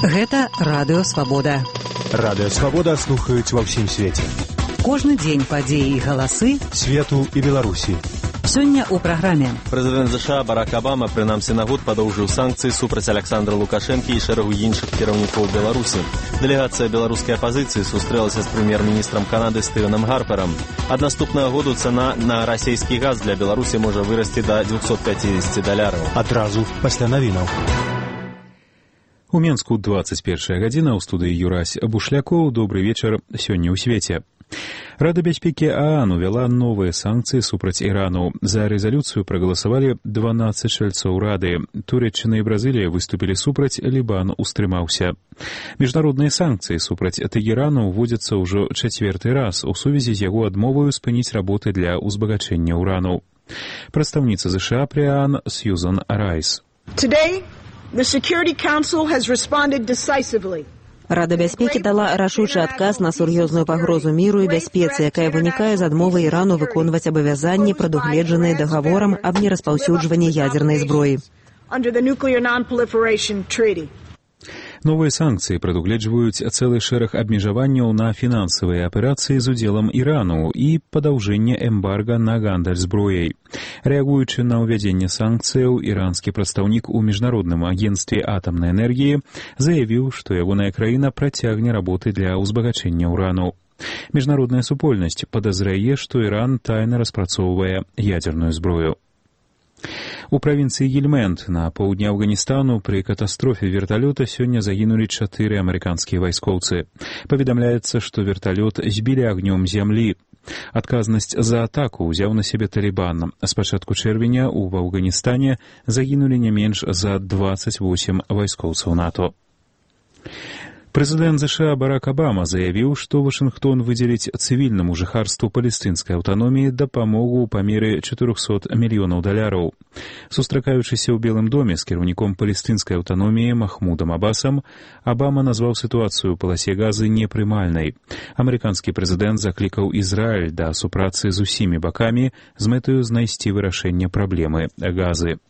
Гэта Радыё Свабода. Радыё Свабода слухаюць ва ўсім свеце. Кожны дзень падзеі і галасы свету і Беларусі. Сёння ў праграме. Прэзідэнт США Барак Абама прынамсі на год падоўжыў санкцыі супраць Александра Лукашэнкі і шэрагу іншых кіраўнікоў Беларусі. Дэлегацыя беларускай апазіцыі сустрэлася з прэм'ер-міністрам Канады Стывенам Гарперам. Ад наступнага году цана на расійскі газ для Беларусі можа вырасці да $250. Адразу пасля навінаў. У Менску 21 гадзіна, ў студыі Юрась Бушлякоў. Добры вечар сёння ў свеце. Рада бяспекі ААН увяла новыя санкцыі супраць Ірану. За рэзалюцыю прагаласавалі 12 чальцоў Рады. Турэччына і Бразылія выступілі супраць, Лібан устрымаўся. Міжнародныя санкцыі супраць Тэгерану ўводзяцца ўжо чацвёрты раз у сувязі з яго адмоваю спыніць работы для ўзбагачэння ўрану. Прадстаўніца США пры ААН Сьюзан Райс. The Security Council has responded decisively. Рада бяспекі дала рашучы адказ на сур'ёзную пагрозу міру і бяспецы, якая вынікае з адмовы Ірану выконваць абавязанні, прадугледжаныя дагаворам аб нераспаўсюджванні ядзернай зброі. Новыя санкцыі прадугледжваюць цэлы шэраг абмежаванняў на фінансавыя аперацыі з удзелам Ірану і падаўжэнне эмбарга на гандаль зброяй. Рэагуючы на ўвядзенне санкцыяў, іранскі прадстаўнік у міжнародным агенцтве атамнай энергіі заявіў, што ягоная краіна працягне работы для ўзбагачэння ўрану. Міжнародная супольнасць падазрае, што Іран тайна распрацоўвае ядзерную зброю. У правінцыі Гельмэнд на поўдні Афганістану пры катастрофе верталёта сёння загінулі 4 амерыканскія вайскоўцы. Паведамляецца, што верталёт збілі агнём зямлі. Адказнасць за атаку ўзяў на сябе Талібан. З пачатку чэрвеня ў Афганістане загінулі не менш за 28 вайскоўцаў НАТО. Прэзідэнт США Барак Абама заявіў, што Вашынгтон выдзеліць цывільнаму жыхарству палестынскай аўтаноміі дапамогу ў памеры $400 мільёнаў. Сустракаючыся ў Белым доме з кіраўніком палестынскай аўтаноміі Махмудам Абасам, Абама назваў сітуацыю ў паласе газы непрымальнай. Амерыканскі прэзідэнт заклікаў Ізраіль да супрацы з усімі бакамі з мэтаю знайсці вырашэнне праблемы газы.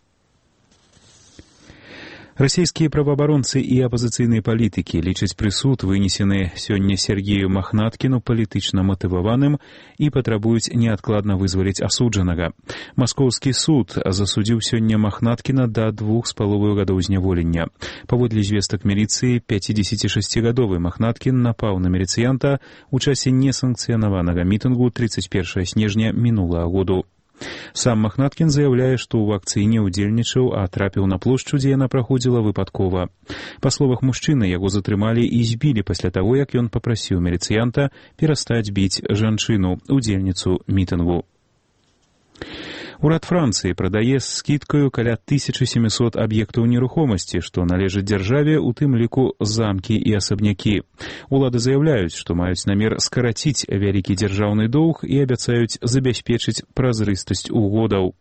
Расійскія праваабаронцы і апазіцыйныя палітыкі лічаць прысуд, вынесены сёння Сергею Махнаткіну, палітычна матываваным і патрабуюць неадкладна вызваліць асуджанага. Маскоўскі суд засудзіў сёння Махнаткіна да 2,5 гадоў зняволення. Паводле звестак міліцыі, 56-гадовы Махнаткін напаў на міліцыянта ў часе несанкцыянаванага мітынгу 31 снежня мінулага году. Сам Махнаткін заяўляе, што ў акцыі не ўдзельнічаў, а трапіў на плошчу, дзе яна праходзіла выпадкова. Па словах мужчыны, яго затрымалі і збілі пасля таго, як ён папрасіў міліцыянта перастаць біць жанчыну, удзельніцу мітынгу. Урад Францыі прадае з скідкаю каля 1700 аб'ектаў нерухомасці, што належыць дзяржаве, у тым ліку замкі і асабнякі. Улады заяўляюць, што маюць намер скараціць вялікі дзяржаўны доўг і абяцаюць забяспечыць празрыстасць угодаў.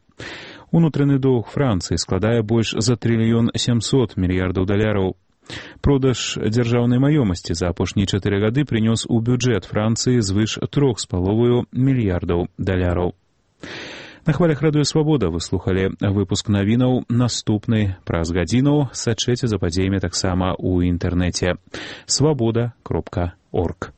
Унутраны доўг Францыі складае больш за $1,700 мільярдаў. Продаж дзяржаўнай маёмасці за апошнія 4 гады прынёс у бюджэт Францыі звыш $3,5 мільярдаў. На хвалях Радыё Свабода вы слухалі выпуск навінаў. Наступны праз гадзіну. Сачэце за падзеямі таксама ў інтэрнэце. Свабода.орг.